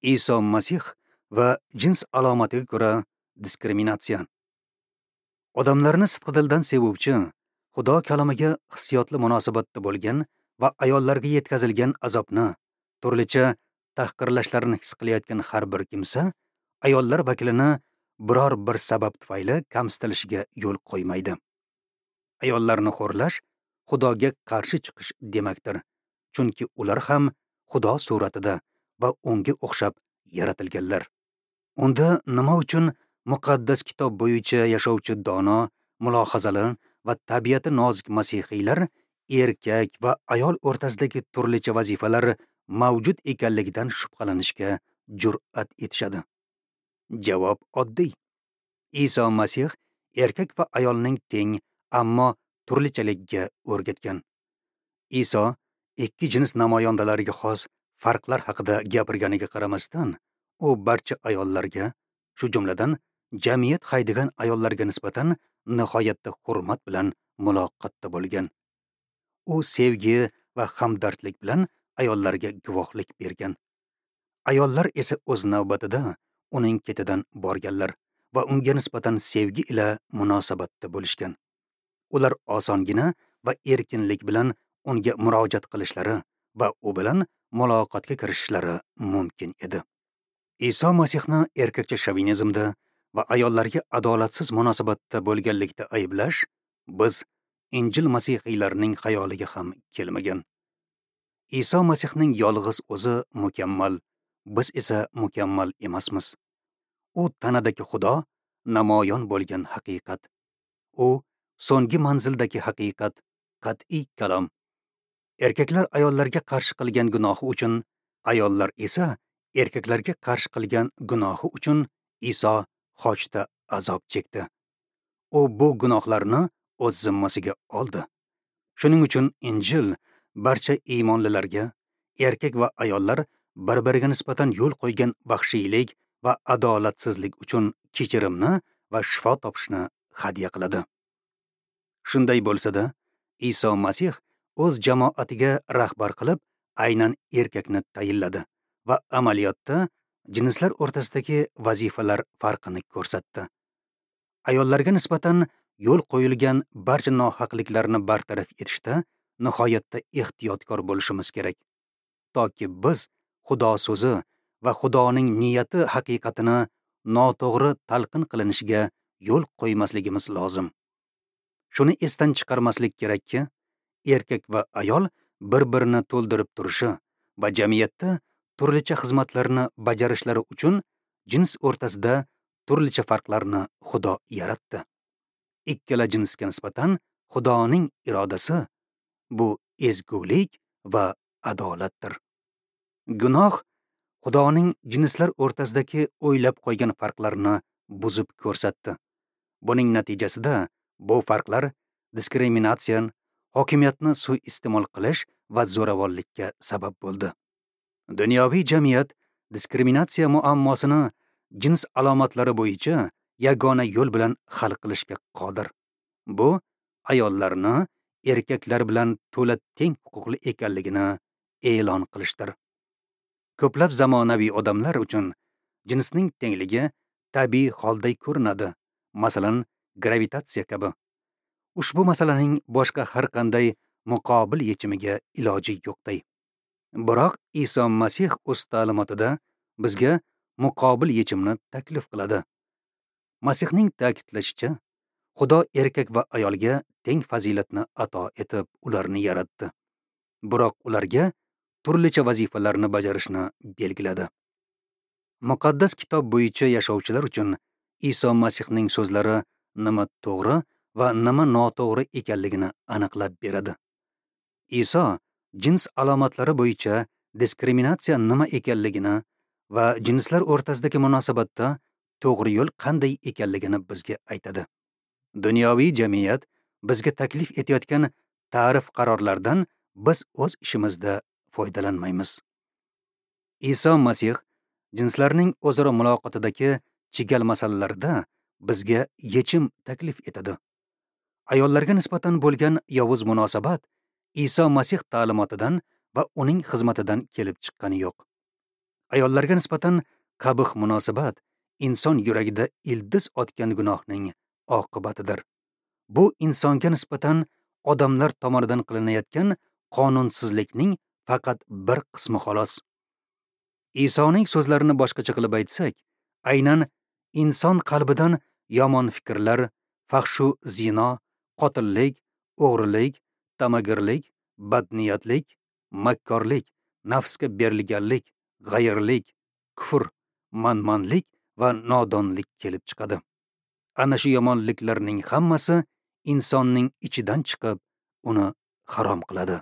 Iso Masih va jins alomatiga ko'ra diskriminatsiya. Odamlarni sidqidildan sevuvchi, Xudo kalomiga hissiyotli munosabatda bo'lgan va ayollarga yetkazilgan azobni, turlicha tahqirlashlarini his qilayotgan har bir kimsa ayollar vakilini biror bir sabab tufayli kamsitilishiga yo'l qo'ymaydi. Ayollarni xo'rlash Xudoga qarshi chiqish demakdir, chunki ular ham Xudo suratida va unga o'xshab yaratilganlar. Unda nima uchun muqaddas kitob bo'yicha yashovchi dono, mulohazali va tabiati nozik masihiylar erkak va ayol o'rtasidagi turlicha vazifalar mavjud ekanligidan shubhalanishga jur'at etishadi? Javob oddiy. Iso Masih erkak va ayolning teng, ammo turlichaligiga o'rgatgan. Iso ikki jins namoyandalariga xos farqlar haqida gapirganiga qaramasdan, u barcha ayollarga, shu jumladan jamiyat haydagan ayollarga nisbatan nihoyatda hurmat bilan muloqotda bo'lgan. U sevgi va hamdardlik bilan ayollarga guvohlik bergan. Ayollar esa o'z navbatida uning ketidan borganlar va unga nisbatan sevgi ila munosabatda bo'lishgan. Ular osongina va erkinlik bilan unga murojaat qilishlari va u bilan muloqotga kirishishlari mumkin edi. Iso Masihni erkakcha shovinizmda va ayollarga adolatsiz munosabatda bo'lganlikda ayblash biz Injil masihiylarining xayoliga ham kelmagan. Iso Masihning yolg'iz o'zi mukammal, biz esa mukammal emasmiz. U tanadagi Xudo namoyon bo'lgan haqiqat. U so'nggi manzildagi haqiqat, qat'iy kalom. Erkaklar ayollarga qarshi qilgan gunohi uchun, ayollar esa erkaklarga qarshi qilgan gunohi uchun Iso xochda azob chekdi. U bu gunohlarni o'z zimmasiga oldi. Shuning uchun Injil barcha iymonlilarga erkak va ayollar bir-biriga nisbatan yo'l qo'ygan vahshiylik va adolatsizlik uchun kechirimni va shifo topishni hadya qiladi. Shunday bo'lsa-da, Iso Masih o'z jamoatiga rahbar qilib aynan erkakni tayinladi va amaliyotda jinslar o'rtasidagi vazifalar farqini ko'rsatdi. Ayollarga nisbatan yo'l qo'yilgan barcha nohaqliklarni bartaraf etishda nihoyatda ehtiyotkor bo'lishimiz kerak, toki biz Xudo so'zi va Xudoning niyati haqiqatini noto'g'ri talqin qilinishiga yo'l qo'ymasligimiz lozim. Shuni esdan chiqarmaslik kerakki, erkak va ayol bir-birini to'ldirib turishi va jamiyatda turlicha xizmatlarni bajarishlari uchun jins o'rtasida turlicha farqlarni Xudo yaratdi. Ikkala jinsga nisbatan Xudoning irodasi bu ezgulik va adolatdir. Gunoh Xudoning jinslar o'rtasidagi o'ylab qo'ygan farqlarni buzib ko'rsatdi. Buning natijasida bu farqlar diskriminatsiya, hokimiyatni suiiste'mol qilish va zo'ravonlikka sabab bo'ldi. Dunyoviy jamiyat diskriminatsiya muammosini jins alomatlari bo'yicha yagona yo'l bilan hal qilishga qodir. Bu ayollarni erkaklar bilan to'la teng huquqli ekanligini e'lon qilishdir. Ko'plab zamonaviy odamlar uchun jinsning tengligi tabiiy holday ko'rinadi, masalan, gravitatsiya kabi. Ushbu masalaning boshqa har qanday muqobil yechimiga iloji yo'qday. Biroq Iso Masih o'z ta'limotida bizga muqobil yechimni taklif qiladi. Masihning ta'kidlashicha, Xudo erkak va ayolga teng fazilatni ato etib ularni yaratdi. Biroq ularga turlicha vazifalarni bajarishni belgiladi. Muqaddas kitob bo'yicha yashovchilar uchun Iso Masihning so'zlari nima to'g'ri va nima noto'g'ri ekanligini aniqlab beradi. Iso jins alomatlari bo'yicha diskriminatsiya nima ekanligini va jinslar o'rtasidagi munosabatda to'g'ri yo'l qanday ekanligini bizga aytadi. Dunyoviy jamiyat bizga taklif etayotgan ta'rif qarorlardan biz o'z ishimizda foydalanmaymiz. Iso Masih jinslarning o'zaro muloqotidagi chigal masalalarda bizga yechim taklif etadi. Ayollarga nisbatan bo'lgan yovuz munosabat Iso Masih ta'limotidan va uning xizmatidan kelib chiqqani yo'q. Ayollarga nisbatan qabih munosabat inson yuragida ildiz otgan gunohning oqibatidir. Bu insonga nisbatan odamlar tomonidan qilinayotgan qonunsizlikning faqat bir qismi xolos. Isoning so'zlarini boshqacha qilib aytsak, aynan inson qalbidan yomon fikrlar, fahshu zino, qotillik, o'g'rilik, tamagirlik, badniyatlik, makkorlik, nafsga berilganlik, g'ayirlik, kufr, manmanlik va nodonlik kelib chiqadi. Ana shu yomonliklarning hammasi insonning ichidan chiqib, uni harom qiladi.